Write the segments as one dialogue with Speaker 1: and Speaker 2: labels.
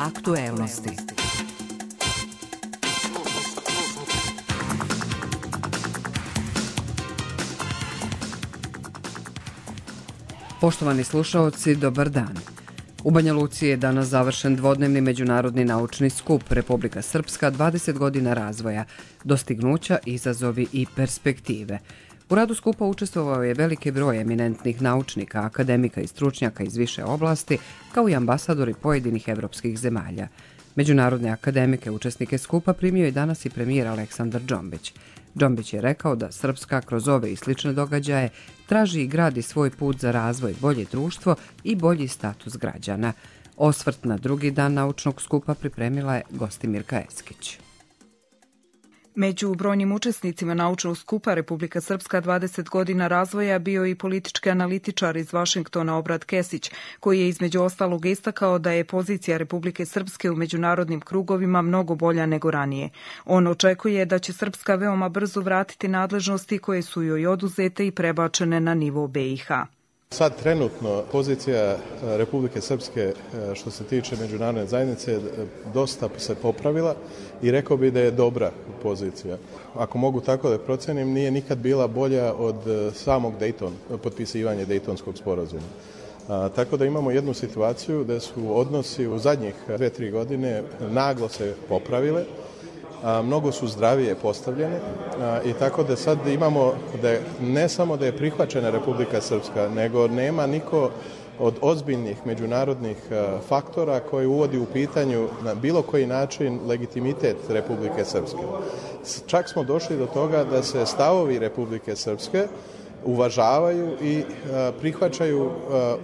Speaker 1: Aktuelnosti. Poštovani slušaoci, dobar dan. U Banja Luci je danas završen dvodnevni međunarodni naučni skup Republika Srpska 20 godina razvoja, dostignuća, izazovi i perspektive. U radu skupa učestvovao je veliki broj eminentnih naučnika, akademika i stručnjaka iz više oblasti, kao i ambasadori pojedinih evropskih zemalja. Međunarodne akademike učesnike skupa primio je danas i premijer Aleksandar Džombić. Džombić je rekao da Srpska kroz ove i slične događaje traži i gradi svoj put za razvoj, bolje društvo i bolji status građana. Osvrt na drugi dan naučnog skupa pripremila je Gostimirka Eskić.
Speaker 2: Među brojnim učesnicima naučnog skupa Republika Srpska 20 godina razvoja bio i politički analitičar iz Vašingtona Obrad Kesić, koji je između ostalog istakao da je pozicija Republike Srpske u međunarodnim krugovima mnogo bolja nego ranije. On očekuje da će Srpska veoma brzo vratiti nadležnosti koje su joj oduzete i prebačene na nivo BiH.
Speaker 3: Sad trenutno pozicija Republike Srpske što se tiče međunarodne zajednice dosta se popravila i rekao bih da je dobra pozicija. Ako mogu tako da procenim, nije nikad bila bolja od samog potpisivanja Dejtonskog sporazuma. Tako da imamo jednu situaciju da su odnosi u zadnjih 2-3 godine naglo se popravile. Mnogo su zdravije postavljene i tako da sad imamo da ne samo da je prihvaćena Republika Srpska, nego nema niko od ozbiljnih međunarodnih faktora koji uvodi u pitanju na bilo koji način legitimitet Republike Srpske. Čak smo došli do toga da se stavovi Republike Srpske uvažavaju i prihvaćaju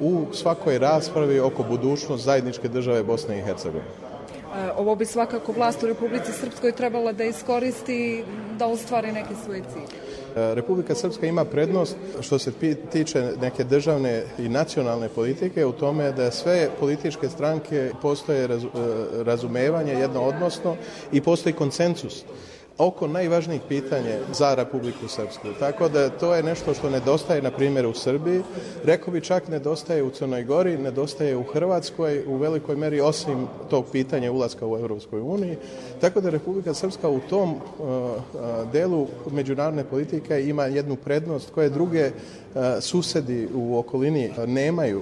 Speaker 3: u svakoj raspravi oko budućnosti zajedničke države Bosne i Hercegovine.
Speaker 2: Ovo bi svakako vlast u Republici Srpskoj trebala da iskoristi da ostvari neke svoje cilje.
Speaker 3: Republika Srpska ima prednost što se tiče neke državne i nacionalne politike u tome da sve političke stranke postoje razumevanje jednoodnosno i postoji konsenzus oko najvažnijih pitanja za Republiku Srpsku. Tako da to je nešto što nedostaje, na primjer, u Srbiji. Rekao bi čak nedostaje u Crnoj Gori, nedostaje u Hrvatskoj u velikoj meri osim tog pitanja ulaska u Europskoj uniji. Tako da Republika Srpska u tom delu međunarodne politike ima jednu prednost koje druge susedi u okolini nemaju,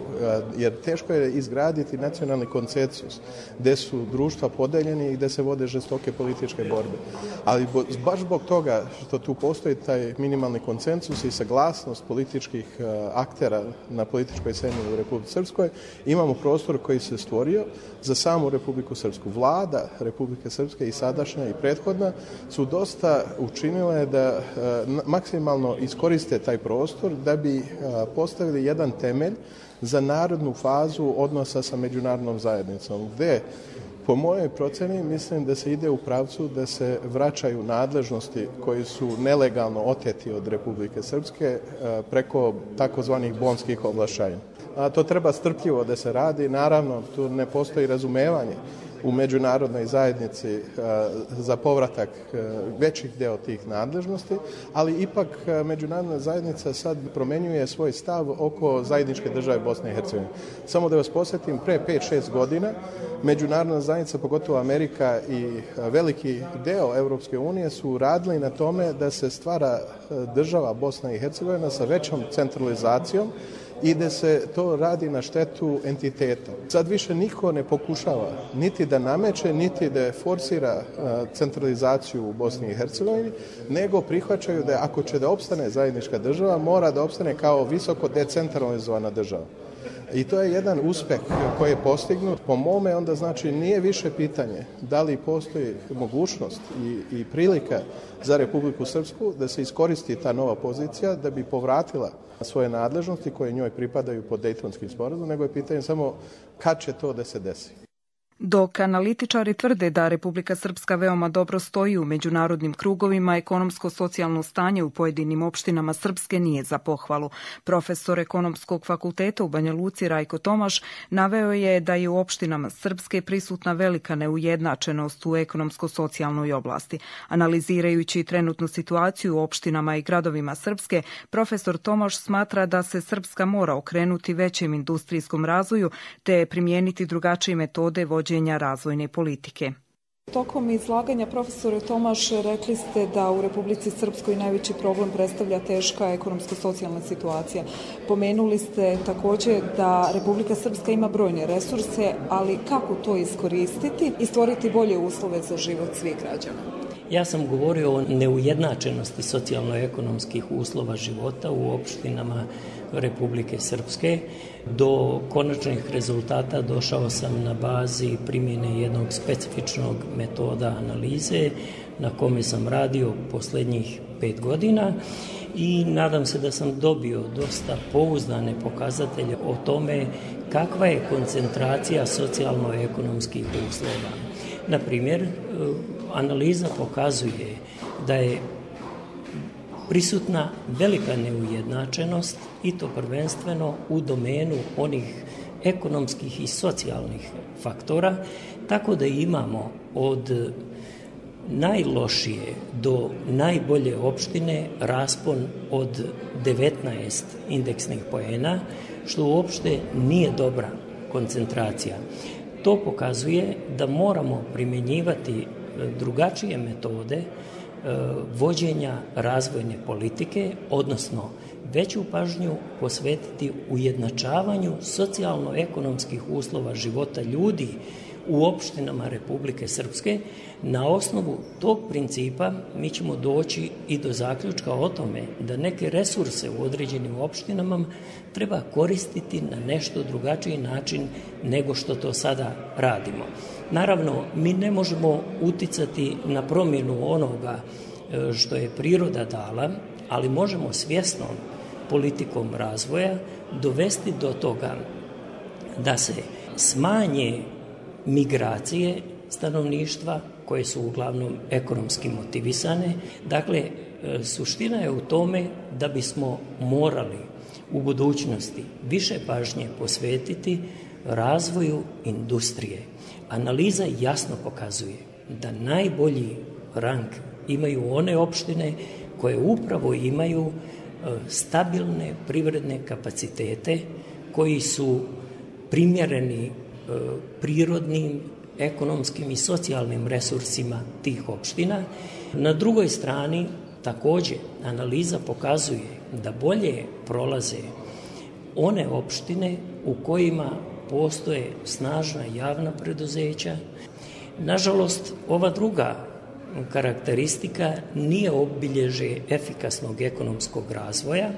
Speaker 3: jer teško je izgraditi nacionalni konsenzus gde su društva podeljeni i gde se vode žestoke političke borbe. Ali baš zbog toga što tu postoji taj minimalni konsenzus i saglasnost političkih aktera na političkoj sceni u Republici Srpskoj, imamo prostor koji se stvorio za samu Republiku Srpsku. Vlada Republike Srpske i sadašnja i prethodna su dosta učinile da maksimalno iskoriste taj prostor da bi postavili jedan temelj za narodnu fazu odnosa sa međunarodnom zajednicom, gde po mojoj proceni mislim da se ide u pravcu da se vraćaju nadležnosti koji su nelegalno oteti od Republike Srpske preko takozvanih bonskih ovlašćenja. To treba strpljivo da se radi, naravno tu ne postoji razumevanje u međunarodnoj zajednici za povratak većih deo tih nadležnosti, ali ipak međunarodna zajednica sad promenjuje svoj stav oko zajedničke države Bosne i Hercegovine. Samo da vas posjetim, pre 5-6 godina međunarodna zajednica, pogotovo Amerika i veliki deo Evropske unije su radili na tome da se stvara država Bosna i Hercegovina sa većom centralizacijom i da se to radi na štetu entiteta. Sad više niko ne pokušava niti da nameće, niti da forsira centralizaciju u Bosni i Hercegovini, nego prihvaćaju da ako će da opstane zajednička država, mora da opstane kao visoko decentralizovana država. I to je jedan uspeh koji je postignut. Po mome onda znači nije više pitanje da li postoji mogućnost i prilika za Republiku Srpsku da se iskoristi ta nova pozicija da bi povratila svoje nadležnosti koje njoj pripadaju pod Dejtonskim sporazumom, nego je pitanje samo kad će to da se desi.
Speaker 2: Dok analitičari tvrde da Republika Srpska veoma dobro stoji u međunarodnim krugovima, ekonomsko-socijalno stanje u pojedinim opštinama Srpske nije za pohvalu. Profesor Ekonomskog fakulteta u Banja Luci Rajko Tomaš naveo je da je u opštinama Srpske prisutna velika neujednačenost u ekonomsko-socijalnoj oblasti. Analizirajući trenutnu situaciju u opštinama i gradovima Srpske, profesor Tomaš smatra da se Srpska mora okrenuti većem industrijskom razvoju te primijeniti drugačije metode vođenja vođenja razvojne politike.
Speaker 4: Tokom izlaganja, profesore Tomaš, rekli ste da u Republici Srpskoj najveći problem predstavlja teška ekonomsko-socijalna situacija. Pomenuli ste također da Republika Srpska ima brojne resurse, ali kako to iskoristiti i stvoriti bolje uslove za život svih građana?
Speaker 5: Ja sam govorio o neujednačenosti socijalno-ekonomskih uslova života u opštinama Republike Srpske. Do konačnih rezultata došao sam na bazi primjene jednog specifičnog metoda analize na kome sam radio posljednjih 5 godina i nadam se da sam dobio dosta pouzdane pokazatelje o tome kakva je koncentracija socijalno-ekonomskih uslova. Na primjer, analiza pokazuje da je prisutna velika neujednačenost i to prvenstveno u domenu onih ekonomskih i socijalnih faktora, tako da imamo od najlošije do najbolje opštine raspon od 19 indeksnih poena, što uopšte nije dobra koncentracija. To pokazuje da moramo primjenjivati drugačije metode vođenja razvojne politike, odnosno veću pažnju posvetiti ujednačavanju socijalno-ekonomskih uslova života ljudi u opštinama Republike Srpske. Na osnovu tog principa mi ćemo doći i do zaključka o tome da neke resurse u određenim opštinama treba koristiti na nešto drugačiji način nego što to sada radimo. Naravno, mi ne možemo uticati na promjenu onoga što je priroda dala, ali možemo svjesnom politikom razvoja dovesti do toga da se smanje migracije stanovništva koje su uglavnom ekonomski motivisane. Dakle, suština je u tome da bismo morali u budućnosti više pažnje posvetiti razvoju industrije. Analiza jasno pokazuje da najbolji rang imaju one opštine koje upravo imaju stabilne privredne kapacitete koji su primjereni prirodnim, ekonomskim i socijalnim resursima tih opština. Na drugoj strani također analiza pokazuje da bolje prolaze one opštine u kojima postoje snažna javna preduzeća. Nažalost, ova druga karakteristika nije obilježje efikasnog ekonomskog razvoja,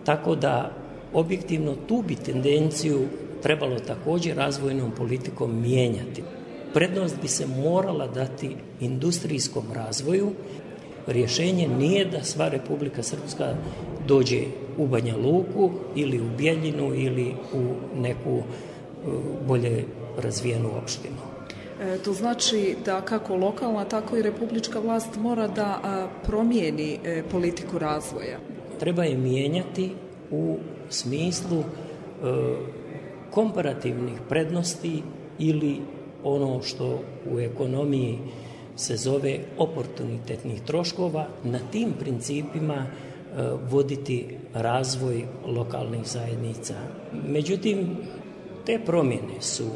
Speaker 5: tako da objektivno tu bi tendenciju trebalo također razvojnom politikom mijenjati. Prednost bi se morala dati industrijskom razvoju. Rješenje nije da sva Republika Srpska dođe u Banja Luku ili u Bijeljinu ili u neku bolje razvijenu opštinu.
Speaker 4: To znači da kako lokalna, tako i republička vlast mora da promijeni politiku razvoja.
Speaker 5: Treba je mijenjati u smislu komparativnih prednosti ili ono što u ekonomiji se zove oportunitetnih troškova, na tim principima voditi razvoj lokalnih zajednica. Međutim, te promjene su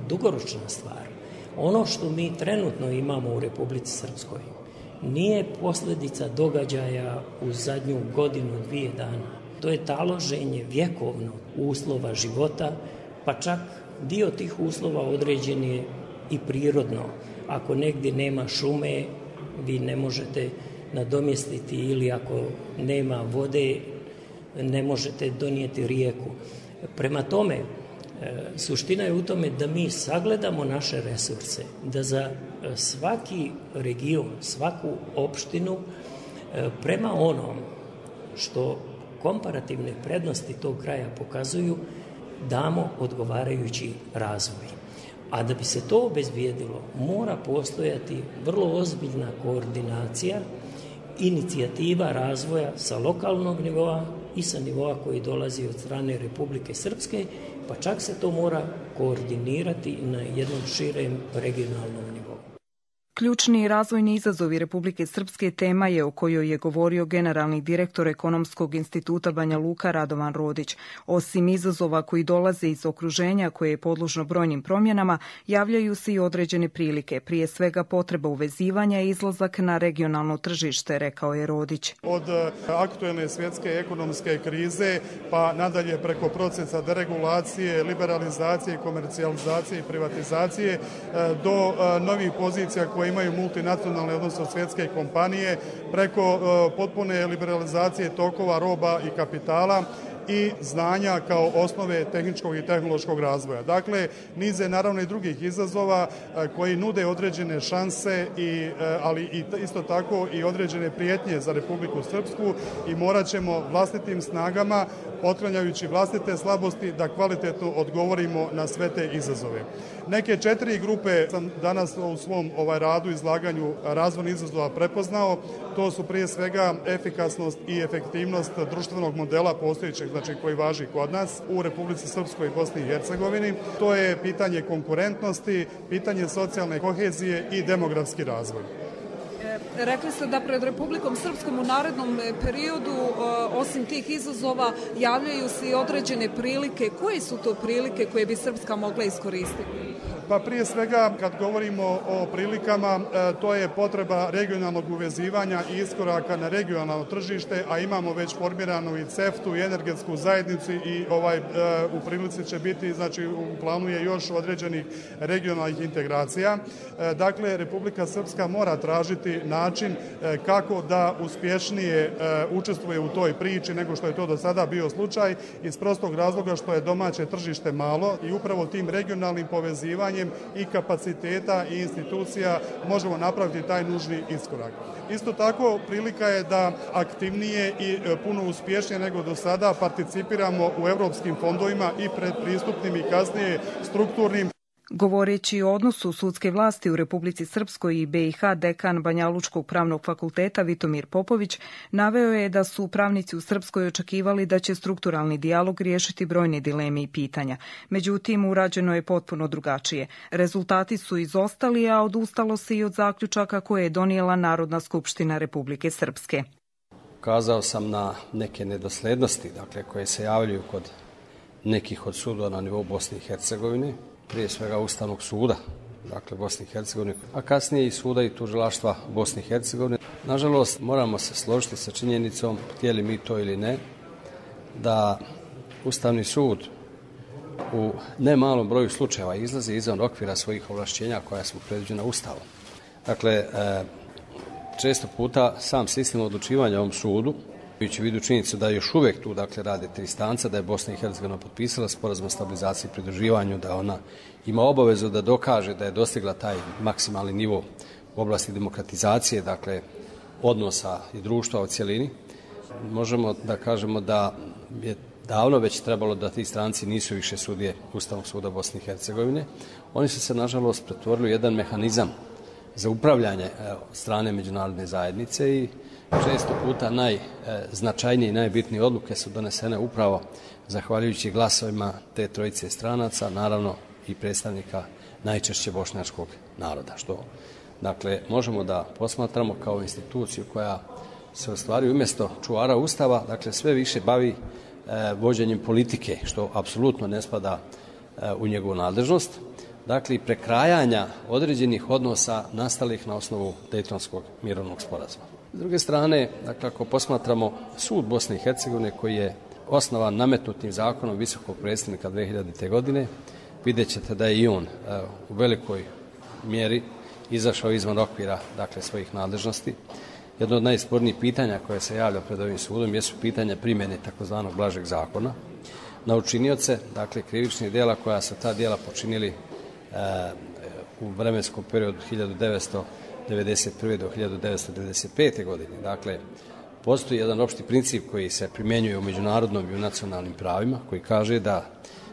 Speaker 5: dugoročna stvar. Ono što mi trenutno imamo u Republici Srpskoj nije posljedica događaja u zadnju godinu, 2 dana. To je taloženje vjekovnog uslova života, pa čak dio tih uslova određen je i prirodno. Ako negdje nema šume, vi ne možete nadomjestiti, ili ako nema vode, ne možete donijeti rijeku. Prema tome, suština je u tome da mi sagledamo naše resurse, da za svaki region, svaku opštinu, prema onom što komparativne prednosti tog kraja pokazuju, damo odgovarajući razvoj. A da bi se to obezbijedilo, mora postojati vrlo ozbiljna koordinacija, inicijativa razvoja sa lokalnog nivoa i sa nivoa koji dolazi od strane Republike Srpske, pa čak se to mora koordinirati na jednom širem regionalnom nivou.
Speaker 2: Ključni razvojni izazovi Republike Srpske tema je o kojoj je govorio generalni direktor Ekonomskog instituta Banja Luka Radovan Rodić. Osim izazova koji dolaze iz okruženja koje je podložno brojnim promjenama, javljaju se i određene prilike, prije svega potreba uvezivanja i izlazak na regionalno tržište, rekao je Rodić.
Speaker 6: Od aktuelne svjetske ekonomske krize pa nadalje preko procesa deregulacije, liberalizacije, komercijalizacije i privatizacije do novih pozicija koje imaju multinacionalne, odnosno svjetske kompanije, preko potpune liberalizacije tokova roba i kapitala i znanja kao osnove tehničkog i tehnološkog razvoja. Dakle, niz je naravno i drugih izazova koji nude određene šanse, ali isto tako i određene prijetnje za Republiku Srpsku i morat ćemo vlastitim snagama, otklanjajući vlastite slabosti, da kvalitetno odgovorimo na sve te izazove. Neke 4 grupe sam danas u svom radu, izlaganju razvojnih izazova prepoznao. To su prije svega efikasnost i efektivnost društvenog modela postojećeg, znači koji važi kod nas u Republici Srpskoj i Bosni i Hercegovini. To je pitanje konkurentnosti, pitanje socijalne kohezije i demografski razvoj.
Speaker 4: Rekli ste da pred Republikom Srpskom u narednom periodu, osim tih izazova, javljaju se i određene prilike. Koje su to prilike koje bi Srpska mogla iskoristiti?
Speaker 6: Pa prije svega, kad govorimo o prilikama, to je potreba regionalnog uvezivanja i iskoraka na regionalno tržište, a imamo već formiranu i CEFTA-u i energetsku zajednicu i u prilici će biti, znači u planu je još određenih regionalnih integracija. Dakle, Republika Srpska mora tražiti način kako da uspješnije učestvuje u toj priči nego što je to do sada bio slučaj, iz prostog razloga što je domaće tržište malo i upravo tim regionalnim povezivanjem i kapaciteta i institucija možemo napraviti taj nužni iskorak. Isto tako, prilika je da aktivnije i puno uspješnije nego do sada participiramo u europskim fondovima i predpristupnim i kasnije strukturnim.
Speaker 2: Govoreći o odnosu sudske vlasti u Republici Srpskoj i BiH, dekan Banjalučkog pravnog fakulteta Vitomir Popović naveo je da su pravnici u Srpskoj očekivali da će strukturalni dijalog riješiti brojne dileme i pitanja. Međutim, urađeno je potpuno drugačije. Rezultati su izostali, a odustalo se i od zaključaka koje je donijela Narodna skupština Republike Srpske.
Speaker 7: Kazao sam na neke nedoslednosti, dakle, koje se javljaju kod nekih od sudova na nivou Bosne i Hercegovine, prije svega Ustavnog suda, dakle Bosne i Hercegovine, a kasnije i suda i tužilaštva Bosne i Hercegovine. Nažalost, moramo se složiti sa činjenicom, htjeli mi to ili ne, da Ustavni sud u nemalom broju slučajeva izlazi izvan okvira svojih ovlašćenja koja su predviđena Ustavom. Dakle, često puta sam sistem odlučivanja ovom sudu, imajući u vidu činjenicu da još uvijek tu rade 3 instance, da je Bosna i Hercegovina potpisala sporazum o stabilizaciji i pridruživanju, da ona ima obavezu da dokaže da je dostigla taj maksimalni nivo u oblasti demokratizacije, dakle odnosa i društva u cjelini. Možemo da kažemo da je davno već trebalo da ti stranci nisu više sudije Ustavnog suda Bosne i Hercegovine. Oni su se nažalost pretvorili u jedan mehanizam za upravljanje strane međunarodne zajednice i često puta najznačajnije i najbitnije odluke su donesene upravo zahvaljujući glasovima te trojice stranaca, naravno i predstavnika najčešće bošnjačkog naroda, što dakle možemo da posmatramo kao instituciju koja se ostvari umjesto čuvara Ustava, dakle sve više bavi vođenjem politike, što apsolutno ne spada u njegovu nadležnost, dakle i prekrajanja određenih odnosa nastalih na osnovu Dejtonskog mirovnog sporazuma. S druge strane, dakle, ako posmatramo sud Bosne i Hercegovine koji je osnovan nametnutim zakonom visokog predstavnika 2000. godine, vidjet ćete da je i on u velikoj mjeri izašao izvan okvira, dakle, svojih nadležnosti. Jedno od najspornijih pitanja koje se javlja pred ovim sudom jesu pitanja primjene takozvanog blažeg zakona na učinioce, dakle, krivičnih djela koja su ta djela počinili u vremenskom periodu 1991. do 1995. godine. Dakle, postoji jedan opšti princip koji se primjenjuje u međunarodnom i u nacionalnim pravima, koji kaže da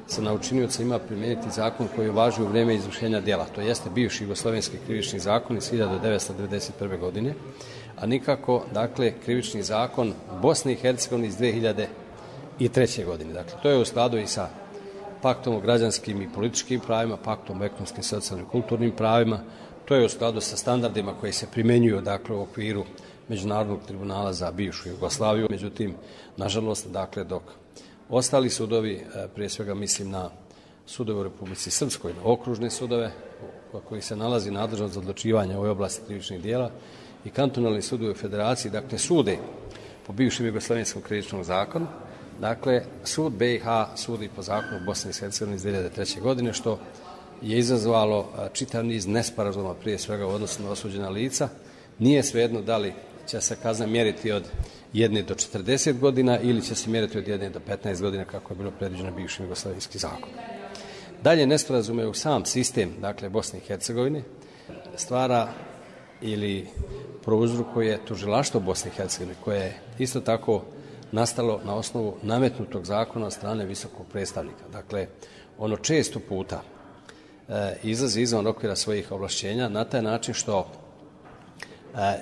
Speaker 7: se na učinioca ima primijeniti zakon koji važi u vrijeme izvršenja djela. To jeste bivši jugoslovenski krivični zakon iz 1991. godine, a nikako, dakle, krivični zakon Bosne i Hercegovine iz 2003. godine. Dakle, to je u skladu i sa paktom o građanskim i političkim pravima, paktom o ekonomskim, socijalnim i kulturnim pravima. To je u skladu sa standardima koji se primjenjuju dakle, u okviru Međunarodnog tribunala za bivšu Jugoslaviju. Međutim, nažalost, dakle, dok ostali sudovi, prije svega mislim na sudove u Republici Srpskoj, na okružne sudove, koji se nalazi nadležnost za odlučivanje u ovoj oblasti krivičnih dijela, i kantonalni sudovi u Federaciji, dakle, sude po bivšem Jugoslavenskom krivičnom zakonu. Dakle, sud BiH sudi po zakonu Bosne i Hercegovine iz 2003. godine, što je izazvalo čitav niz nesporazuma, prije svega u odnosu na osuđena lica. Nije svejedno da li će se kazna mjeriti od 1 do 40 godina ili će se mjeriti od 1 do 15 godina, kako je bilo predviđeno bivšim jugoslavijski zakon. Dalje nesporazume u sam sistem, dakle, Bosne i Hercegovine stvara ili prouzrokuje tužilaštvo Bosne i Hercegovine, koje je isto tako nastalo na osnovu nametnutog zakona od strane visokog predstavnika. Dakle, ono često puta izlazi izvan okvira svojih ovlašćenja na taj način što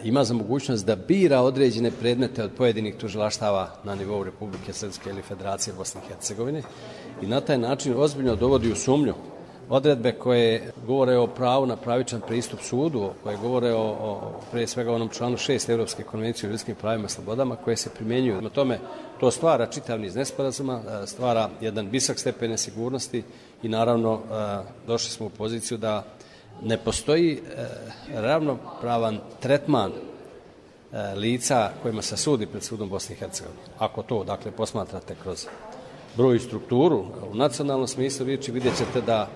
Speaker 7: ima za mogućnost da bira određene predmete od pojedinih tužilaštava na nivou Republike Srpske ili Federacije Bosne i Hercegovine i na taj način ozbiljno dovodi u sumnju odredbe koje govore o pravu na pravičan pristup sudu, koje govore o prije svega onom članu 6 Europske konvencije o ljudskim pravima i slobodama, koje se primjenjuju. Na tome to stvara čitav niz nesporazuma, stvara jedan visok stepen nesigurnosti i naravno došli smo u poziciju da ne postoji ravnopravan tretman lica kojima se sudi pred sudom Bosne i Hercegovine. Ako to, dakle, posmatrate kroz broj i strukturu, u nacionalnom smislu riječi vidjet ćete da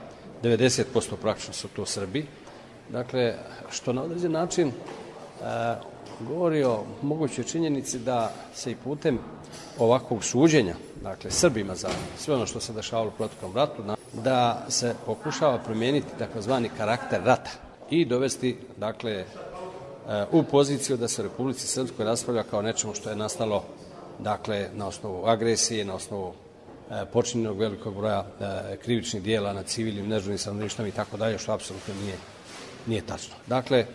Speaker 7: 90% praktično su to Srbi. Dakle, što na određen način govori o mogućoj činjenici da se i putem ovakvog suđenja, dakle, Srbima za sve ono što se dešavalo u proteklom ratu, da se pokušava promijeniti takozvani karakter rata i dovesti, dakle, u poziciju da se u Republici Srpskoj raspravlja kao nečemu što je nastalo, dakle, na osnovu agresije, na osnovu počinjenog velikog broja krivičnih dijela nad civilnim, neživim stanovništvom i tako dalje, što apsolutno nije tačno. Dakle,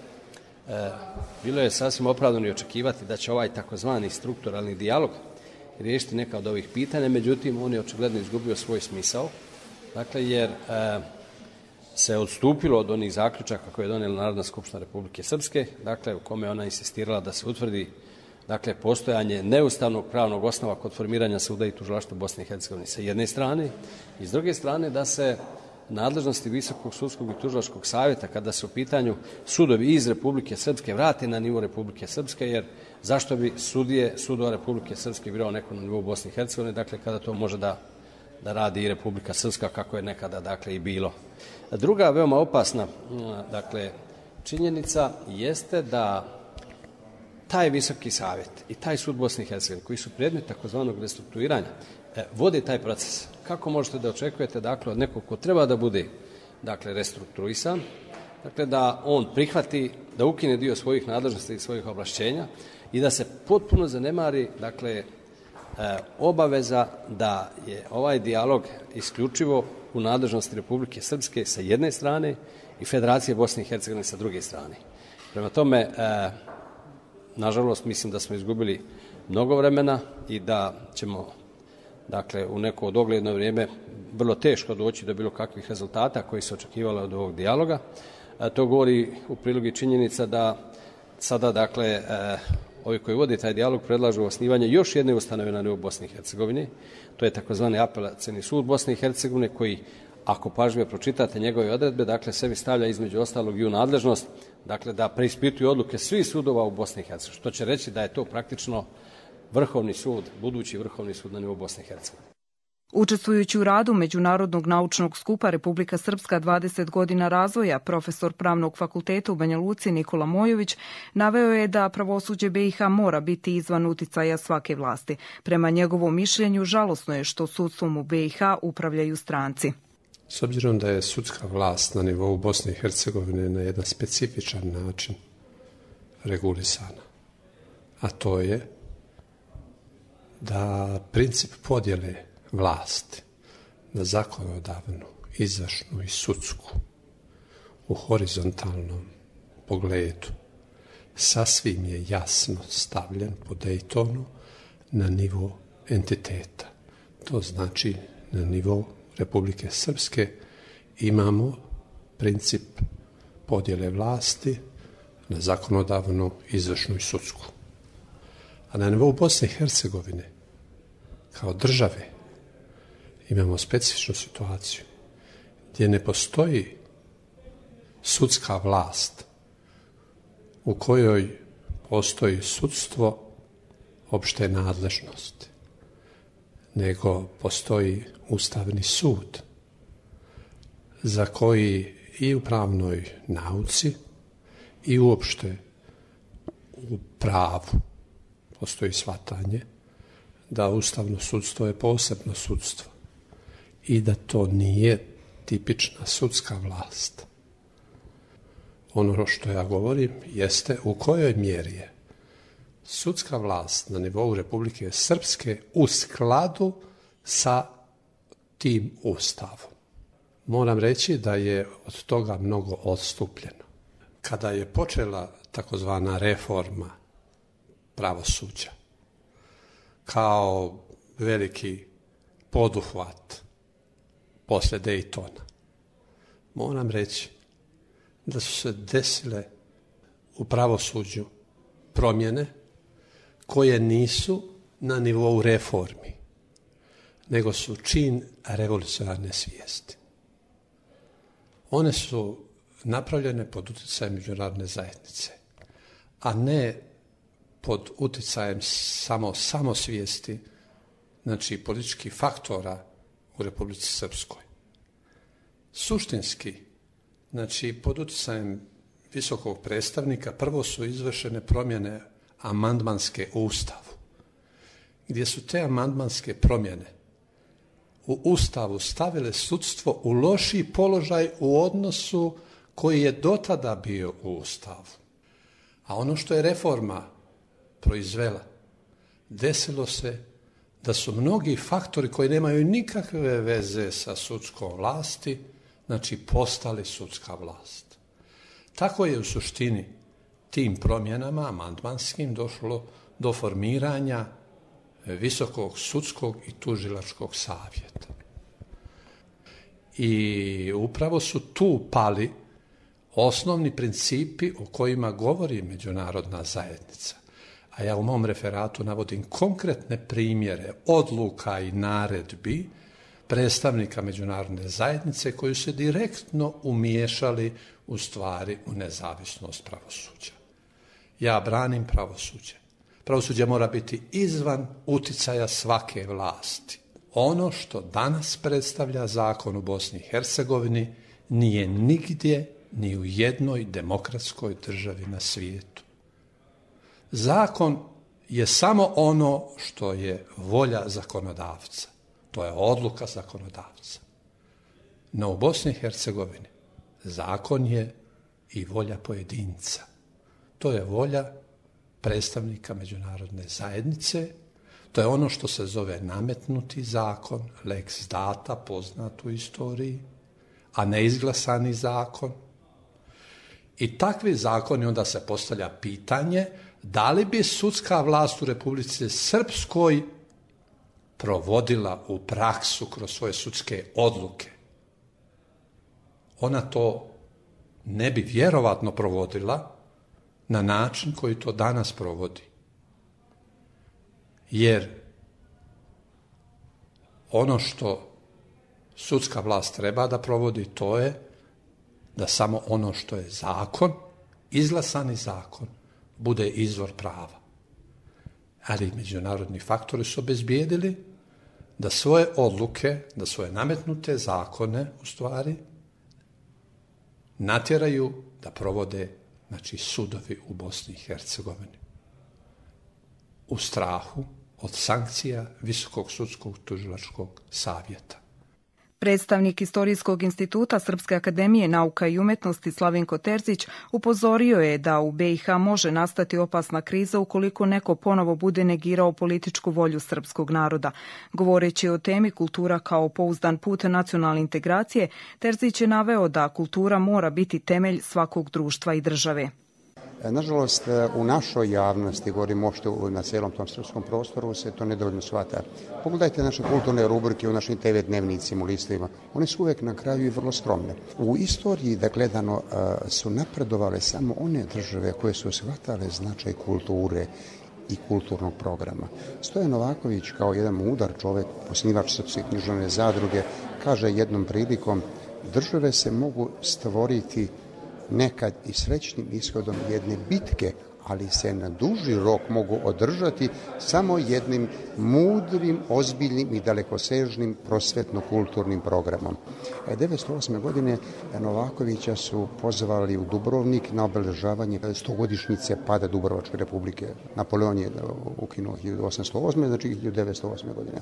Speaker 7: bilo je sasvim opravdano i očekivati da će ovaj takozvani strukturalni dijalog riješiti neka od ovih pitanja, međutim, on je očigledno izgubio svoj smisao, dakle, jer se odstupilo od onih zaključaka koje je donijela Narodna skupština Republike Srpske, dakle, u kome ona insistirala da se utvrdi, dakle, postojanje neustavnog pravnog osnova kod formiranja suda i tužilaštva Bosne i Hercegovine sa jedne strane i s druge strane da se nadležnosti Visokog sudskog i tužilačkog savjeta, kada su u pitanju sudovi iz Republike Srpske, vrate na nivo Republike Srpske, jer zašto bi sudova Republike Srpske birao neko na nivou Bosne i Hercegovine, dakle, kada to može da radi i Republika Srpska, kako je nekada, dakle, i bilo. Druga veoma opasna, dakle, činjenica jeste da taj Visoki savjet i taj sud Bosne i Hercegovine, koji su predmet takozvanog restrukturiranja, vode taj proces. Kako možete da očekujete, dakle, od nekog ko treba da bude, dakle, restrukturisan, dakle, da on prihvati, da ukine dio svojih nadležnosti i svojih ovlašćenja i da se potpuno zanemari, dakle, obaveza da je ovaj dijalog isključivo u nadležnosti Republike Srpske sa jedne strane i Federacije Bosne i Hercegovine sa druge strane. Prema tome, nažalost, mislim da smo izgubili mnogo vremena i da ćemo, dakle, u neko dogledno vrijeme vrlo teško doći do bilo kakvih rezultata koji se očekivalo od ovog dijaloga. To govori u prilog i činjenica da sada, dakle, ovi koji vode taj dijalog predlažu osnivanje još jedne ustanove na nivou Bosne i Hercegovine. To je takozvani apelacioni sud Bosne i Hercegovine koji, ako pažljivo pročitate njegove odredbe, dakle, sebi stavlja između ostalog i u nadležnost, dakle, da preispituju odluke svih sudova u Bosni i Hercegovini, što će reći da je to praktično vrhovni sud, budući vrhovni sud na nivou Bosne i Hercegovine.
Speaker 2: Učestvujući u radu Međunarodnog naučnog skupa Republika Srpska 20 godina razvoja, profesor Pravnog fakulteta u Banja Luci Nikola Mojović naveo je da pravosuđe BiH mora biti izvan uticaja svake vlasti. Prema njegovom mišljenju, žalosno je što sudstvom u BiH upravljaju stranci.
Speaker 8: S obzirom da je sudska vlast na nivou Bosne i Hercegovine na jedan specifičan način regulisana, a to je da princip podjele vlasti na zakonodavnu, izvršnu i sudsku u horizontalnom pogledu sasvim je jasno stavljen po Daytonu na nivo entiteta. To znači na nivo Republike Srpske imamo princip podjele vlasti na zakonodavnu, izvršnu i sudsku. A na nivou Bosne i Hercegovine, kao države, imamo specifičnu situaciju gdje ne postoji sudska vlast u kojoj postoji sudstvo opšte nadležnosti, nego postoji Ustavni sud za koji i u pravnoj nauci i uopšte u pravu postoji shvatanje da ustavno sudstvo je posebno sudstvo i da to nije tipična sudska vlast. Ono što ja govorim jeste u kojoj mjeri je sudska vlast na nivou Republike Srpske u skladu sa tim ustavom. Moram reći da je od toga mnogo odstupljeno. Kada je počela takozvana reforma pravosuđa kao veliki poduhvat posle Dejtona, moram reći da su se desile u pravosuđu promjene koje nisu na nivou reformi, nego su čin revolucionarne svijesti. One su napravljene pod utjecajem međunarodne zajednice, a ne pod utjecajem samosvijesti, znači političkih faktora u Republici Srpskoj. Suštinski, znači pod utjecajem visokog predstavnika, prvo su izvršene promjene amandmanske u Ustavu, gdje su te amandmanske promjene u Ustavu stavile sudstvo u lošiji položaj u odnosu koji je dotada bio u Ustavu. A ono što je reforma proizvela, desilo se da su mnogi faktori koji nemaju nikakve veze sa sudskom vlasti, znači postali sudska vlast. Tako je u suštini tim promjenama amandmanskim došlo do formiranja Visokog sudskog i tužilačkog savjeta. I upravo su tu pali osnovni principi o kojima govori međunarodna zajednica. A ja u mom referatu navodim konkretne primjere odluka i naredbi predstavnika međunarodne zajednice koji su se direktno umiješali u stvari u nezavisnost pravosuđa. Ja branim pravosuđe. Pravosuđe mora biti izvan uticaja svake vlasti. Ono što danas predstavlja zakon u Bosni i Hercegovini nije nigdje ni u jednoj demokratskoj državi na svijetu. Zakon je samo ono što je volja zakonodavca. To je odluka zakonodavca. No u Bosni i Hercegovini zakon je i volja pojedinca. To je volja predstavnika međunarodne zajednice. To je ono što se zove nametnuti zakon, lex data, poznat u istoriji, a neizglasani zakon. I takvi zakoni, onda se postavlja pitanje da li bi sudska vlast u Republici Srpskoj provodila u praksu kroz svoje sudske odluke. Ona to ne bi vjerovatno provodila na način koji to danas provodi. Jer ono što sudska vlast treba da provodi, to je da samo ono što je zakon, izglasani zakon, bude izvor prava. Ali međunarodni faktori su obezbijedili da svoje odluke, da svoje nametnute zakone, u stvari, natjeraju da provode, znači, sudovi u Bosni i Hercegovini. U strahu od sankcija Visokog sudskog tužilačkog savjeta.
Speaker 2: Predstavnik Istorijskog instituta Srpske akademije nauka i umjetnosti Slavinko Terzić upozorio je da u BiH može nastati opasna kriza ukoliko neko ponovo bude negirao političku volju srpskog naroda. Govoreći o temi kultura kao pouzdan put nacionalne integracije, Terzić je naveo da kultura mora biti temelj svakog društva i države.
Speaker 9: Nažalost, u našoj javnosti, govorim uopšte na cijelom tom srpskom prostoru, se to nedovoljno shvata. Pogledajte naše kulturne rubrike u našim TV dnevnicima, u listovima. One su uvek na kraju i vrlo skromne. U istoriji, da gledano, su napredovale samo one države koje su shvatale značaj kulture i kulturnog programa. Stojan Novaković, kao jedan mudar čovek, osnivač Srpske književne zadruge, kaže jednom prilikom: države se mogu stvoriti nekad i srećnim ishodom jedne bitke, ali se na duži rok mogu održati samo jednim mudrim, ozbiljnim i dalekosežnim prosvetno-kulturnim programom. 1908. godine Novakovića su pozvali u Dubrovnik na obeležavanje 100-godišnjice pada Dubrovačke republike. Napoleon je ukinuo 1808. znači 1908. godine.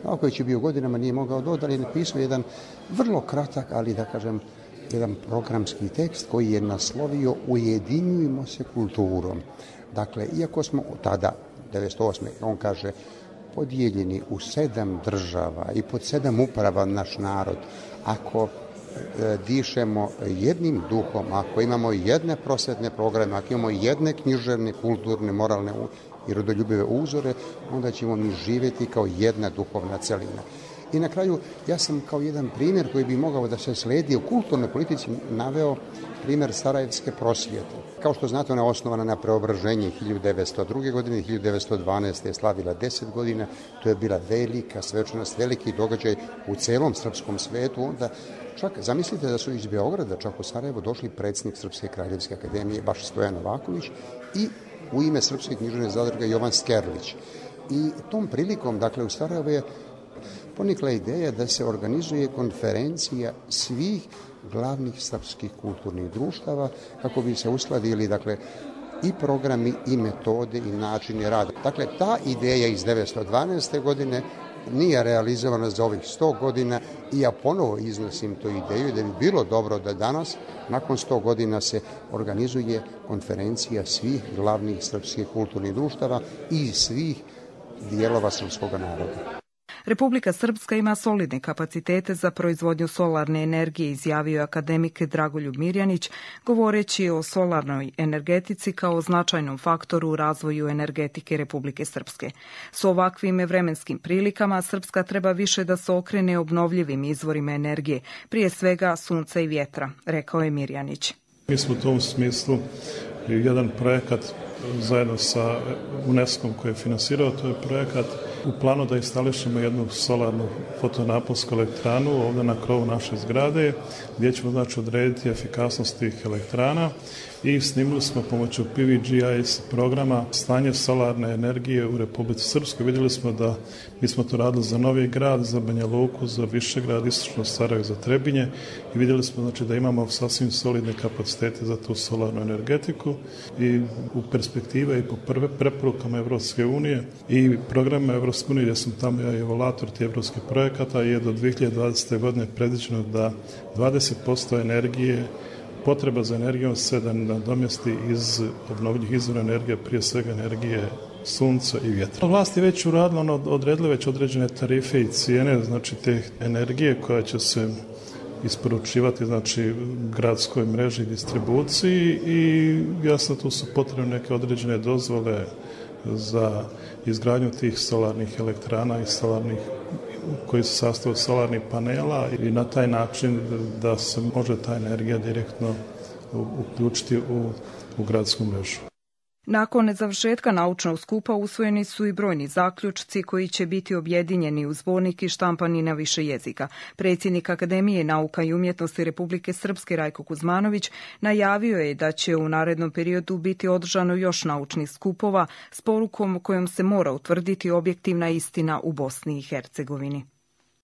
Speaker 9: Novaković je bio godinama, nije mogao dodati, ali je napisao jedan vrlo kratak, ali da kažem, jedan programski tekst koji je naslovio Ujedinjujmo se kulturom. Dakle, iako smo tada, 1908. on kaže, podijeljeni u 7 država i pod 7 uprava naš narod, ako dišemo jednim duhom, ako imamo jedne prosvetne programe, ako imamo jedne književne, kulturne, moralne i rodoljubive uzore, onda ćemo mi živjeti kao jedna duhovna celina. I na kraju, ja sam kao jedan primjer koji bi mogao da se sledi u kulturnoj politici naveo primjer Sarajevske prosvjete. Kao što znate, ona je osnovana na Preobraženje 1902. godine, 1912. je slavila 10 godina. To je bila velika svečanost, veliki događaj u celom srpskom svetu. Onda čak, zamislite da su iz Beograda čak u Sarajevo došli predsjednik Srpske kraljevske akademije, baš Stojan Novaković, i u ime Srpske književne zadruge Jovan Skerlić. I tom prilikom, dakle, u Sarajevo je ponikla ideja da se organizuje konferencija svih glavnih srpskih kulturnih društava kako bi se uskladili, dakle, i programi i metode i načini rada. Dakle, ta ideja iz 1912. godine nije realizovana za ovih 100 godina i ja ponovo iznosim tu ideju da bi bilo dobro da danas, nakon 100 godina, se organizuje konferencija svih glavnih srpskih kulturnih društava i svih dijelova srpskog naroda.
Speaker 2: Republika Srpska ima solidne kapacitete za proizvodnju solarne energije, izjavio je akademik Dragoljub Mirjanić, govoreći o solarnoj energetici kao značajnom faktoru u razvoju energetike Republike Srpske. S ovakvim vremenskim prilikama Srpska treba više da se okrene obnovljivim izvorima energije, prije svega sunca i vjetra, rekao je Mirjanić.
Speaker 6: Mi smo u tom smislu jedan projekat zajedno sa UNESCO-om koji je finansirao, to je projekat u planu da instališemo jednu solarnu fotonaponsku elektranu ovdje na krovu naše zgrade, gdje ćemo znači odrediti efikasnost tih elektrana i snimili smo pomoću PVGIS programa stanje solarne energije u Republici Srpskoj. Vidjeli smo da mi smo to radili za Novi Grad, za Banja Luku, za Višegrad, Istočno Sarajevo, za Trebinje i vidjeli smo znači da imamo sasvim solidne kapacitete za tu solarnu energetiku i u perspektive i po prve preporukama Evropske unije i programa Evropske unije, gdje sam tamo ja i evaluator tih evropskih projekata, je do 2020. godine predviđeno da 20% energije, potreba za energijom se da nadomjesti iz obnovljivih izvora energije, prije svega energije sunca i vjetra. Vlast je već uradila, odredila već određene tarife i cijene, znači te energije koja će se isporučivati, znači gradskoj mreži i distribuciji i jasno tu su potrebne neke određene dozvole za izgradnju tih solarnih elektrana i solarnih koji se sastoje od solarnih panela i na taj način da se može ta energija direktno uključiti u gradsku mrežu.
Speaker 2: Nakon završetka naučnog skupa usvojeni su i brojni zaključci koji će biti objedinjeni u zbornik i štampani na više jezika. Predsjednik Akademije nauka i umjetnosti Republike Srpske Rajko Kuzmanović najavio je da će u narednom periodu biti održano još naučnih skupova s porukom kojom se mora utvrditi objektivna istina u Bosni i Hercegovini.